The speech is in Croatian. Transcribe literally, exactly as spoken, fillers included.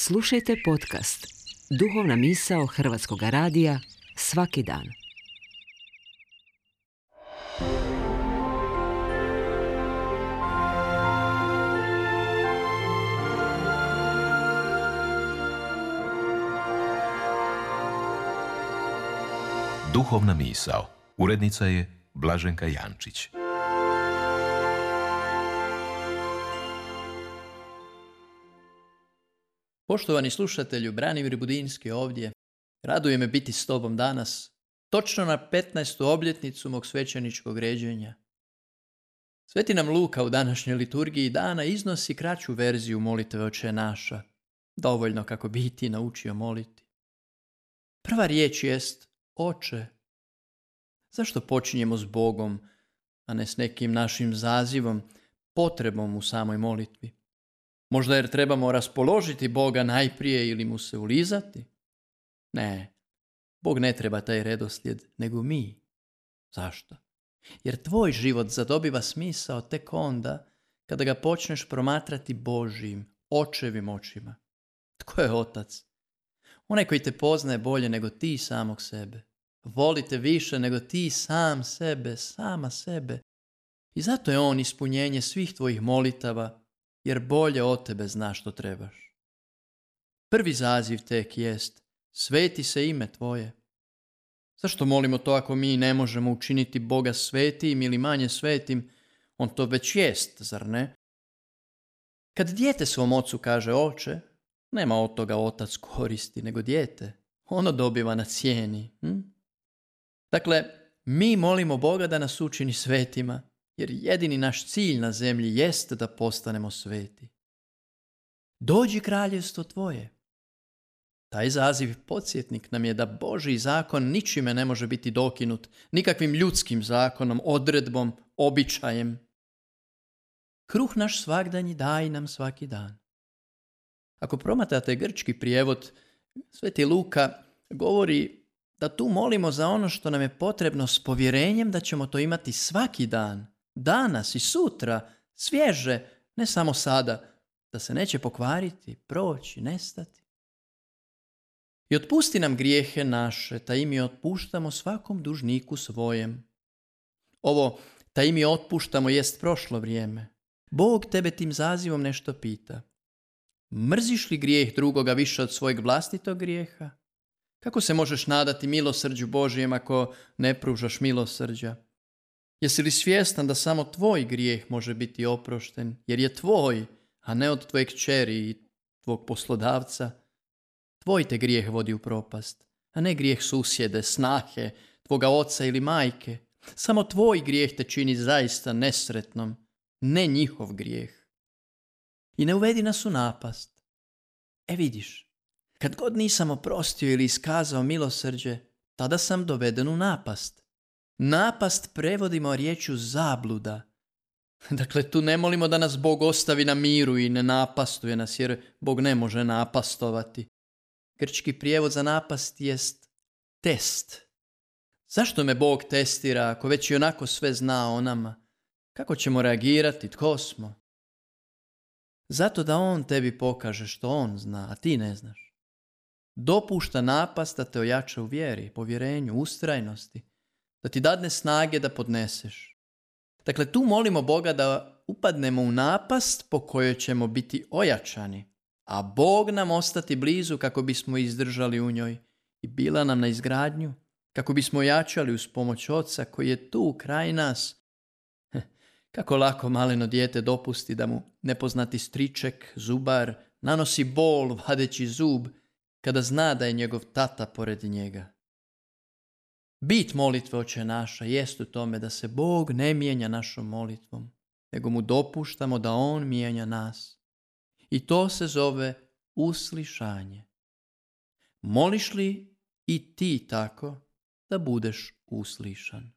Slušajte podcast Duhovna misao Hrvatskog radija svaki dan. Duhovna misao. Urednica je Blaženka Jančić. Poštovani slušatelju, Branimir Budinski ovdje. Raduje me biti s tobom danas, točno na petnaestu obljetnicu mog svećeničkog ređenja. Sveti nam Luka u današnjoj liturgiji dana iznosi kraću verziju molitve Oče naša, dovoljno kako bi i ti naučio moliti. Prva riječ jest Oče. Zašto počinjemo s Bogom, a ne s nekim našim zazivom, potrebom u samoj molitvi? Možda jer trebamo raspoložiti Boga najprije ili mu se ulizati? Ne, Bog ne treba taj redoslijed, nego mi. Zašto? Jer tvoj život zadobiva smisao tek onda kada ga počneš promatrati Božjim, očevim očima. Tko je otac? Onaj koji te poznaje bolje nego ti samog sebe. Volite više nego ti sam sebe, sama sebe. I zato je on ispunjenje svih tvojih molitava, jer bolje od tebe zna što trebaš. Prvi zaziv tek jest, sveti se ime tvoje. Zašto molimo to ako mi ne možemo učiniti Boga svetim ili manje svetim? On to već jest, zar ne? Kad dijete svom ocu kaže oče, nema od toga otac koristi, nego dijete. Ono dobiva na cijeni. Hm? Dakle, mi molimo Boga da nas učini svetima, jer jedini naš cilj na zemlji jest da postanemo sveti. Dođi kraljevstvo tvoje. Taj zaziv podsjetnik nam je da Božji zakon ničime ne može biti dokinut, nikakvim ljudskim zakonom, odredbom, običajem. Kruh naš svagdanji daj nam svaki dan. Ako promatrate grčki prijevod, Sveti Luka govori da tu molimo za ono što nam je potrebno s povjerenjem da ćemo to imati svaki dan, danas i sutra, svježe, ne samo sada, da se neće pokvariti, proći, nestati. I otpusti nam grijehe naše, ta i mi otpuštamo svakom dužniku svojem. Ovo, ta i mi otpuštamo, jest prošlo vrijeme. Bog tebe tim zazivom nešto pita. Mrziš li grijeh drugoga više od svojeg vlastitog grijeha? Kako se možeš nadati milosrđu Božijem ako ne pružaš milosrđa? Jesi li svjestan da samo tvoj grijeh može biti oprošten, jer je tvoj, a ne od tvoje kćeri i tvog poslodavca? Tvoj te grijeh vodi u propast, a ne grijeh susjede, snahe, tvoga oca ili majke. Samo tvoj grijeh te čini zaista nesretnom, ne njihov grijeh. I ne uvedi nas u napast. E vidiš, kad god nisam oprostio ili iskazao milosrđe, tada sam doveden u napast. Napast prevodimo riječju zabluda. Dakle, tu ne molimo da nas Bog ostavi na miru i ne napastuje nas, jer Bog ne može napastovati. Grčki prijevod za napast jest test. Zašto me Bog testira ako već i onako sve zna o nama? Kako ćemo reagirati? Tko smo? Zato da on tebi pokaže što on zna, a ti ne znaš. Dopušta napast da te ojača u vjeri, povjerenju, ustrajnosti, da ti dadne snage da podneseš. Dakle, tu molimo Boga da upadnemo u napast po kojoj ćemo biti ojačani, a Bog nam ostati blizu kako bismo izdržali u njoj i bila nam na izgradnju, kako bismo ojačali uz pomoć Oca koji je tu kraj nas. Kako lako maleno dijete dopusti da mu nepoznati striček, zubar, nanosi bol vadeći zub kada zna da je njegov tata pored njega. Bit molitve Oče naša jest u tome da se Bog ne mijenja našom molitvom, nego mu dopuštamo da on mijenja nas. I to se zove uslišanje. Moliš li i ti tako da budeš uslišan?